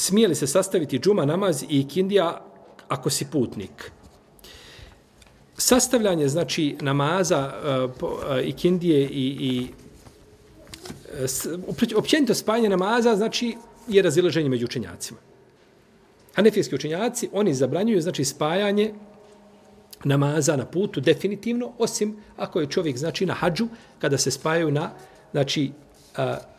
smije li se sastaviti džuma namaz i ikindija ako si putnik? Sastavljanje, znači, namaza, ikindije i općenito spajanje namaza, znači, je razilaženje među učenjacima. Hanefijski učenjaci, oni zabranjuju, znači, spajanje namaza na putu definitivno, osim ako je čovjek, znači, na hadžu, kada se spajaju na, znači,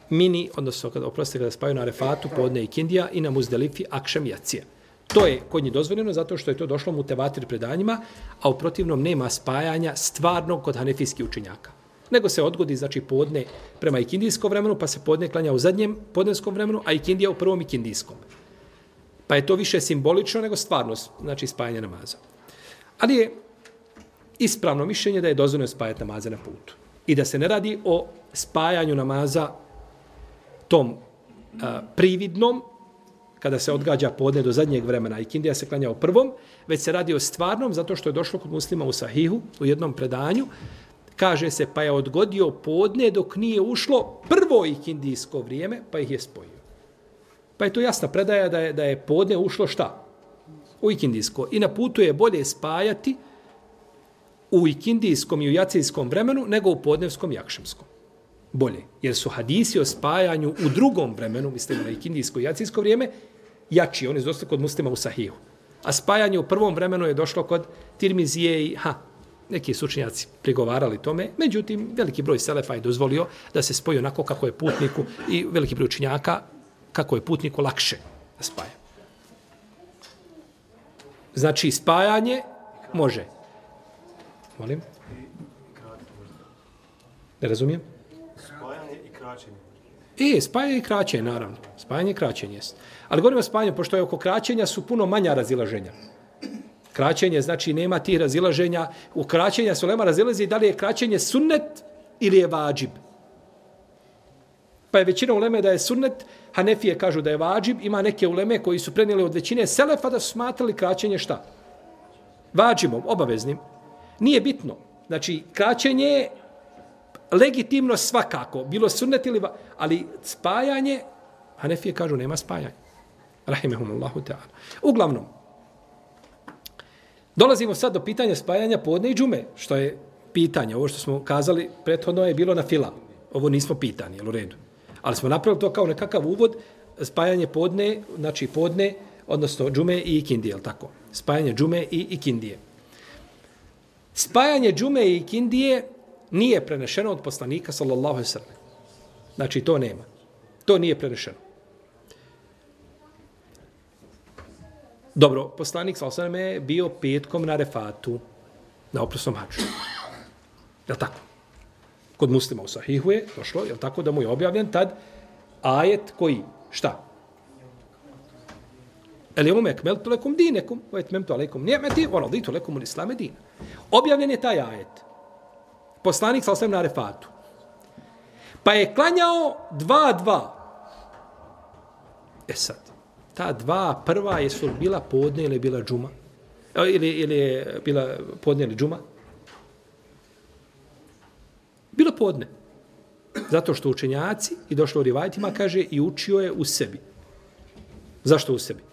mini, odnosno, kada spajaju na Arefatu, podne ikindija i na Muzdelifi, akšam i jacija. To je kod njih dozvoljeno zato što je to došlo mutevatir predanjima, a u protivnom nema spajanja stvarnog kod hanefijskih učenjaka. Nego se odgodi, znači, podne prema ikindijskom vremenu, pa se podne klanja u zadnjem podnevskom vremenu, a ikindija u prvom ikindijskom. Pa je to više simbolično nego stvarno, znači, spajanje namaza. Ali je ispravno mišljenje da je dozvoljeno spajati namaze na putu. I da se ne radi o spajanju namaza tom prividnom, kada se odgađa podne do zadnjeg vremena, ikindija se klanja u prvom, već se radi o stvarnom, zato što je došlo kod muslima u Sahihu, u jednom predanju, kaže se, pa je odgodio podne dok nije ušlo prvo ikindijsko vrijeme, pa ih je spojio. Pa je to jasna predaja da je podne ušlo šta? U ikindijsko. I na putu je bolje spajati u ikindijskom i u jacijskom vremenu nego u podnevskom i akšamskom. Bolje. Jer su hadisi o spajanju u drugom vremenu, mislim na ikindijsko i jacijsko vrijeme, jači. Oni su došli kod muslima u Sahihu. A spajanje u prvom vremenu je došlo kod Tirmizije i neki su učenjaci prigovarali tome. Međutim, veliki broj selefa je dozvolio da se spoji onako kako je putniku i veliki broj učenjaka kako je putniku lakše da spaja. Znači, spajanje može. Molim? Ne razumijem? Spajanje i kraćenje. Spajanje i kraćenje, naravno. Spajanje i kraćenje jest. Ali govorimo o spajanju, pošto je oko kraćenja su puno manja razilaženja. Kraćenje, znači, nema tih razilaženja. U kraćenja su ulema razilazi da li je kraćenje sunnet ili je vađib. Pa je većina uleme da je sunnet, Hanefije kažu da je vađib, ima neke uleme koji su prenijeli od većine selefa da su smatrali kraćenje šta? Vađibom, obaveznim. Nije bitno. Znači, kraćenje je legitimno svakako. Bilo sunnet ili ali spajanje, Hanefije kažu nema spajanja. Rahimehumullahu ta'ala. Uglavnom, dolazimo sad do pitanja spajanja podne i džume, što je pitanje. Ovo što smo kazali prethodno je bilo na fila. Ovo nismo pitani, jel u redu? Ali smo napravili to kao nekakav uvod, spajanje podne, znači podne, odnosno džume i ikindije, jel tako? Spajanje džume i ikindije. Spajanje džume i ikindije nije prenešeno od poslanika, sallallahu alejhi ve sellem. Znači, to nema. To nije prenešeno. Dobro, poslanik, sallallahu alejhi ve sellem, je bio petkom na Arefatu, na oprosnom hadžu. Jel tako? Kod muslima u Sahihu je došlo, jel tako, da mu je objavljen tad ajet koji, šta? Al-yawma akmaltu lakum dinakum wa atmamtu alaykum ni'mati wa raditu lakum al-islam dinan. Objavljen je taj ajet. Poslanik sallallahu alejhi ve sellem na Arefatu. Pa je klanjao 2-2. Sad, ta dva prva jesu bila podne ili bila džuma? Ili je bila podne ili džuma? Bilo podne. Zato što učenjaci, i došlo u rivajtima, kaže, i učio je u sebi. Zašto u sebi?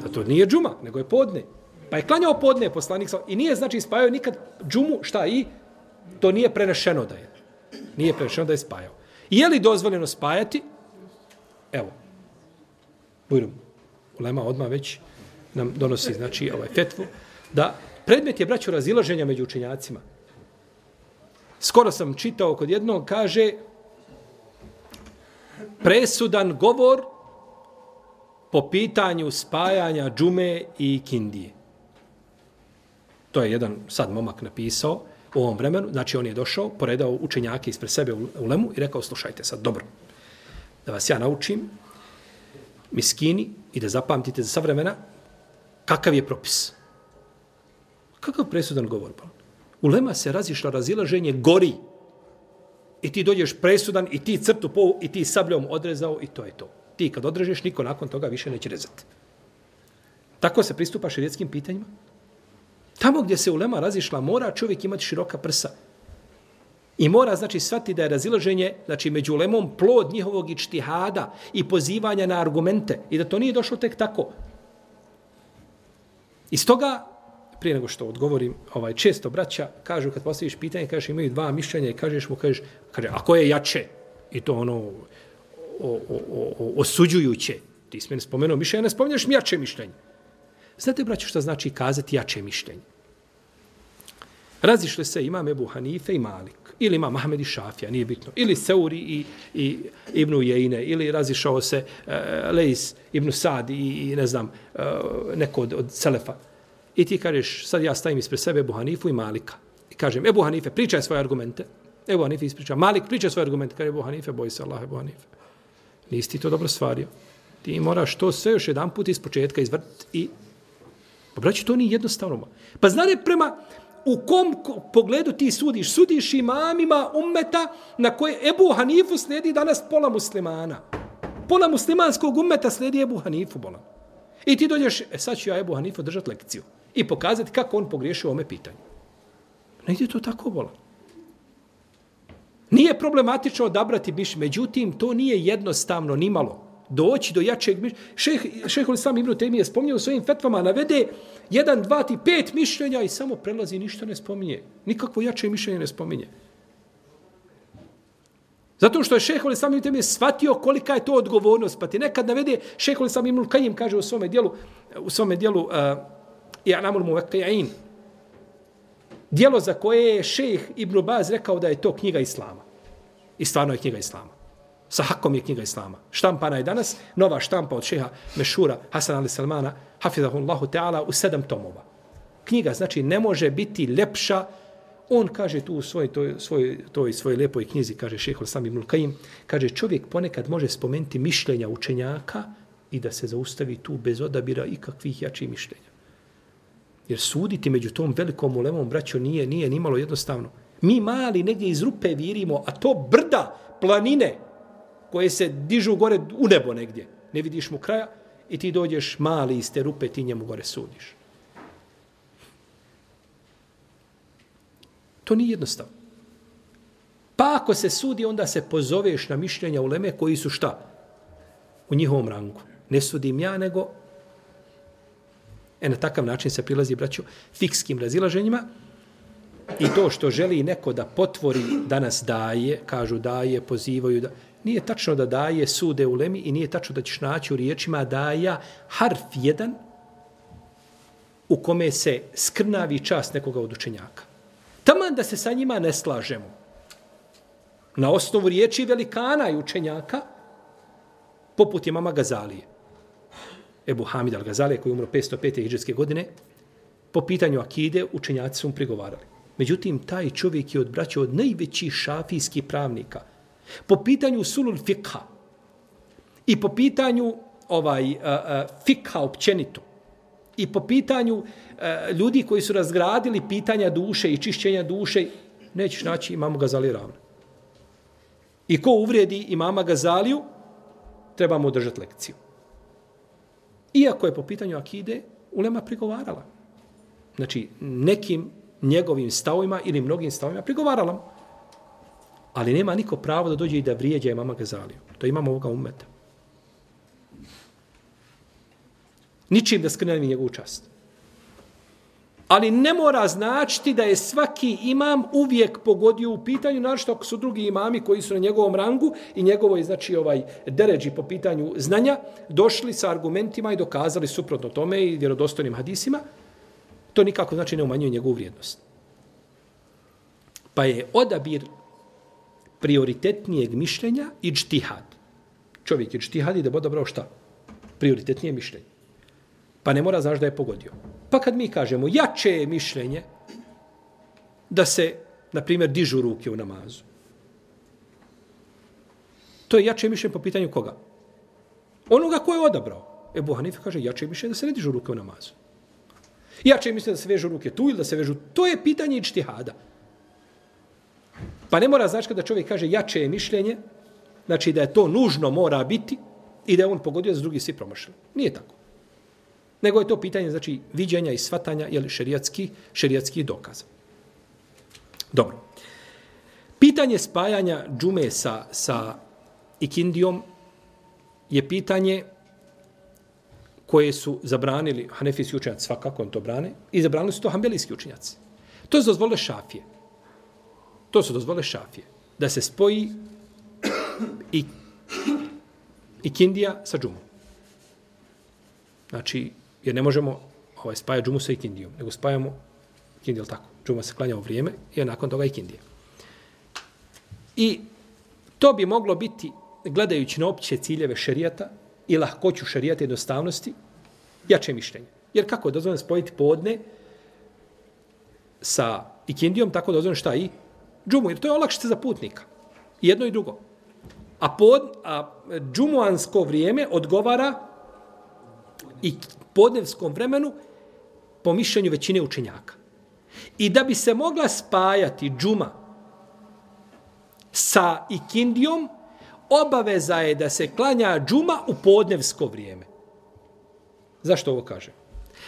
Zato nije džuma, nego je podne. Pa je klanjao podne poslanik, i nije, znači, spajao nikad džumu, šta i? To nije prenešeno da je. Nije prenešeno da je spajao. I je li dozvoljeno spajati? Evo. Bujrum. Ulema odmah već nam donosi, znači, fetvu, da predmet je, braćo, razilaženja među učenjacima. Skoro sam čitao kod jednog, kaže, presudan govor po pitanju spajanja džume i ikindije. To je jedan sad momak napisao u ovom vremenu. Znači, on je došao, poredao učenjake ispred sebe u lemu i rekao, slušajte sad, dobro, da vas ja naučim, miskini, i da zapamtite za sva vremena, kakav je propis. Kakav presudan govor? Ulema se razišla, razilaženje gori. I ti dođeš presudan i ti crtu i ti sabljom odrezao i to je to. Ti kad odrežeš, niko nakon toga više neće rezati. Tako se pristupa šerijetskim pitanjima. Tamo gdje se ulema razišla, mora čovjek imati široka prsa. I mora, znači, shvatiti da je razilaženje, znači, među ulemom plod njihovog ičtihada i pozivanja na argumente i da to nije došlo tek tako. Iz toga, prije nego što odgovorim, često braća kažu, kad postaviš pitanje, kažeš imaju dva mišljenja i kažeš mu, kaže, a koje je jače? I to osuđujuće. Ti si meni spomenuo mišljenje, ne spominjaš mi jače mišljenje. Znate, braćo, što znači kazati jače mišljenje? Razišli se imam Ebu Hanife i Malik, ili imam Ahmed i Šafija, nije bitno, ili Seuri i Ibnu Jejne, ili razišao se Lejs, Ibnu Sad i ne znam, neko od Selefa. I ti kažeš, sad ja stavim ispred sebe Ebu Hanifu i Malika. I kažem, Ebu Hanife, pričaj svoje argumente. Ebu Hanife ispriča. Malik, pričaj svoje argumente. Kaže, Ebu Hanife, boj se Allah, Ebu Hanife. Nisi ti to dobro stvario. Ti moraš to sve još jedan put iz početka izvrti i... Pa braći, to nije jednostavno. Pa znate prema u kom pogledu ti sudiš? Sudiš imamima ummeta na koje Ebu Hanifu slijedi danas pola muslimana. Pola muslimanskog ummeta slijedi Ebu Hanifu, bolam. I ti dođeš, sad ću ja Ebu Hanifu držati lekciju i pokazati kako on pogriješio ome pitanju. Ne ide to tako, bolam. Nije problematično odabrati mišljenje, međutim, to nije jednostavno nimalo. Doći do jačeg mišljenja. Šejhul Islam Ibn Tejmije spominje u svojim fetvama, navede 1, 2, 5 mišljenja i samo prelazi, ništa ne spominje. Nikakvo jače mišljenje ne spominje. Zato što je šejhul Islam Ibn Tejmije shvatio kolika je to odgovornost. Pa ti nekad navede, šejhul Islam Ibn Kajim kaže u svome dijelu I'lamul Muwaqqi'in. Dijelo za koje je šejh Ibn Baz rekao da je to knjiga Islama. I stvarno je knjiga Islama. Sa hakom je knjiga Islama. Štampana je danas, nova štampa od šeha Mešura Hasan Ali Salmana, hafizahullahu ta'ala, u 7 tomova. Knjiga, znači, ne može biti lepša. On kaže tu u svojoj lijepoj knjizi, kaže šejhul Islam Ibn Kajim, kaže, čovjek ponekad može spomenuti mišljenja učenjaka i da se zaustavi tu bez odabira ikakvih jačih mišljenja. Jer suditi među tom velikom ulemom, braćo, nije nimalo jednostavno. Mi mali negdje iz rupe virimo, a to brda, planine, koje se dižu gore u nebo negdje. Ne vidiš mu kraja i ti dođeš mali iz te rupe, ti njemu gore sudiš. To nije jednostavno. Pa ako se sudi, onda se pozoveš na mišljenja uleme koji su šta? U njihovom rangu. Ne sudim ja, nego na takav način se prilazi, braću, fikskim razilaženjima i to što želi neko da potvori danas daje, kažu daje, pozivaju da... Nije tačno da daje sude u lemi i nije tačno da ćeš naći u riječima daja harf jedan u kome se skrnavi čast nekoga od učenjaka. Taman da se sa njima ne slažemo. Na osnovu riječi velikana i učenjaka, poput imama Gazalije. Ebu Hamid al-Gazalije, koji je umro 505. hidžretske godine, po pitanju akide učenjaci su mu prigovarali. Međutim, taj čovjek je odbraćao od najvećih šafijskih pravnika. Po pitanju sulul fikha i po pitanju fikha općenito i po pitanju ljudi koji su razgradili pitanja duše i čišćenja duše, nećeš naći imama Gazalije ravno. I ko uvrijedi imama Gazaliju, treba mu držati lekciju. Iako je po pitanju akide ulema prigovarala. Znači, nekim njegovim stavovima ili mnogim stavovima prigovarala mu. Ali nema niko pravo da dođe i da vrijeđa imama Gazaliju. To imamo ovoga ummeta. Ničim da skrnevi njegovu čast. Ali ne mora značiti da je svaki imam uvijek pogodio u pitanju, našto ako su drugi imami koji su na njegovom rangu i njegovoj, znači, deređi po pitanju znanja, došli sa argumentima i dokazali suprotno tome i vjerodostojnim hadisima, to nikako, znači, ne umanjuje njegovu vrijednost. Pa je odabir prioritetnijeg mišljenja iđtihad. Čovjek iđtihad i da bi odabrao šta? Prioritetnije mišljenje. Pa ne mora znaš da je pogodio. Pa kad mi kažemo jače je mišljenje da se, na primjer, dižu ruke u namazu. To je jače mišljenje po pitanju koga? Onoga ko je odabrao. Ebu Hanife kaže jače mišljenje da se ne dižu ruke u namazu. Jače mišljenje da se vežu ruke tu ili da se vežu... To je pitanje iđtihada. Pa ne mora znači kada čovjek kaže jače je mišljenje, znači da je to nužno mora biti i da je on pogodio, da drugi svi promašali. Nije tako. Nego je to pitanje, znači, viđenja i shvatanja, jeli šerijatski dokaz. Dobro. Pitanje spajanja džume sa ikindijom je pitanje koje su zabranili hanefijski učenjaci, svakako on to brane, i zabranili su to hanbelijski učenjaci. To su dozvole šafije. Da se spoji ikindija sa džumom. Znači, jer ne možemo spajati džumu sa ikindijom, nego spajamo ikindiju, tako. Džuma se klanja u vrijeme i nakon toga ikindija. I to bi moglo biti, gledajući na opće ciljeve šerijata i lahkoću šerijata jednostavnosti, jače mišljenje. Jer kako je dozvoljeno spojiti podne sa ikindijom, tako dozvoljeno šta i džumu, jer to je olakšica za putnika. Jedno i drugo. A džumuansko vrijeme odgovara i podnevskom vremenu po mišljenju većine učenjaka. I da bi se mogla spajati džuma sa ikindijom, obaveza je da se klanja džuma u podnevsko vrijeme. Zašto ovo kažem?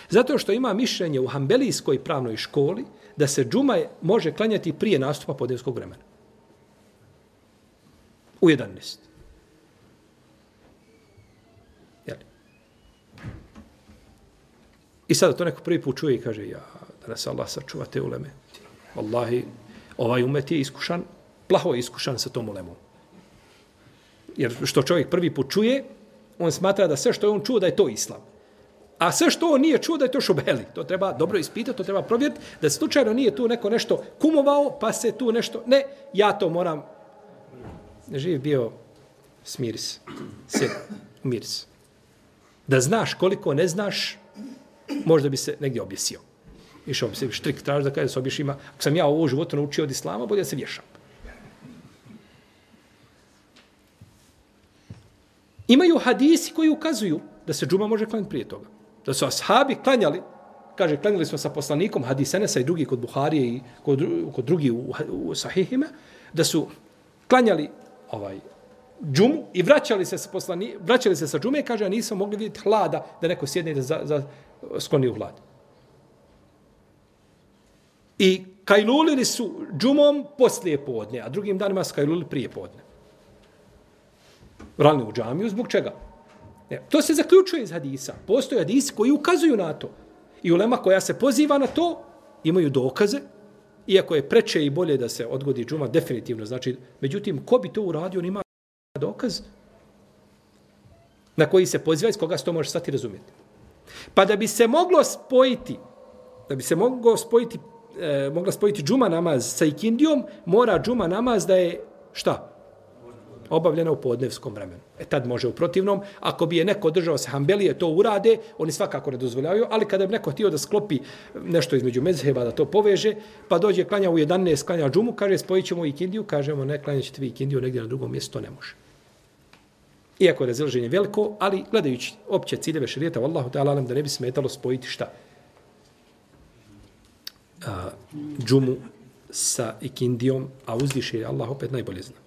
Zato što ima mišljenje u hanbelijskoj pravnoj školi da se džuma može klanjati prije nastupa podnevskog vremena. U 11. Jel? I sada to neko prvi put čuje i kaže, ja, da nas Allah sačuva te uleme. Wallahi, ovaj umet je iskušan, plaho je iskušan sa tom ulemom. Jer što čovjek prvi put čuje, on smatra da sve što je on čuo da je to islam. A sve što on nije čuo da je to šubeli. To treba dobro ispitati, to treba provjeriti, da slučajno nije tu neko nešto kumovao, pa se tu nešto... Ne, ja to moram... Živ bio smiris, umiris. Da znaš koliko ne znaš, možda bi se negdje objesio. Išao bi se štrik traži da kada se obješ ima, ako sam ja ovo životu naučio od islama, bolje da se vješam. Imaju hadisi koji ukazuju da se džuma može klanjati prije toga. Da su ashabi klanjali, kaže, klanjali smo sa poslanikom hadis Enesa i drugi kod Buharije i kod drugi u sahihima, da su klanjali džumu i vraćali se sa džume, kaže, a nisam mogli vidjeti hlada da neko sjedne da skloni u hlad. I kajlulili su džumom poslije podne, a drugim danima su kajlulili prije podne. Vrali u džamiju, zbog čega? To se zaključuje iz hadisa. Postoje hadisi koji ukazuju na to. I ulema koja se poziva na to, imaju dokaze, iako je preče i bolje da se odgodi džuma, definitivno. Znači, međutim, ko bi to uradio, on ima dokaz na koji se poziva, iz koga se to može stati razumjeti. Pa da bi se mogla spojiti džuma namaz sa ikindijom, mora džuma namaz da je šta? Obavljena u podnevskom vremenu. Tad može u protivnom. Ako bi je neko držao se hanbelije, to urade, oni svakako ne dozvoljavaju, ali kada bi neko htio da sklopi nešto između mezheba, da to poveže, pa dođe klanja u 11, klanja džumu, kaže spojit ćemo ikindiju, kažemo ne, klanja ćete vi ikindiju negdje na drugom mjestu, to ne može. Iako je razilaženje veliko, ali gledajući opće ciljeve šerijata, vallahu ta'ala nam da ne bi smetalo spojiti šta? Džumu sa ikindijom, a uzviše je Allah opet najbolje zna.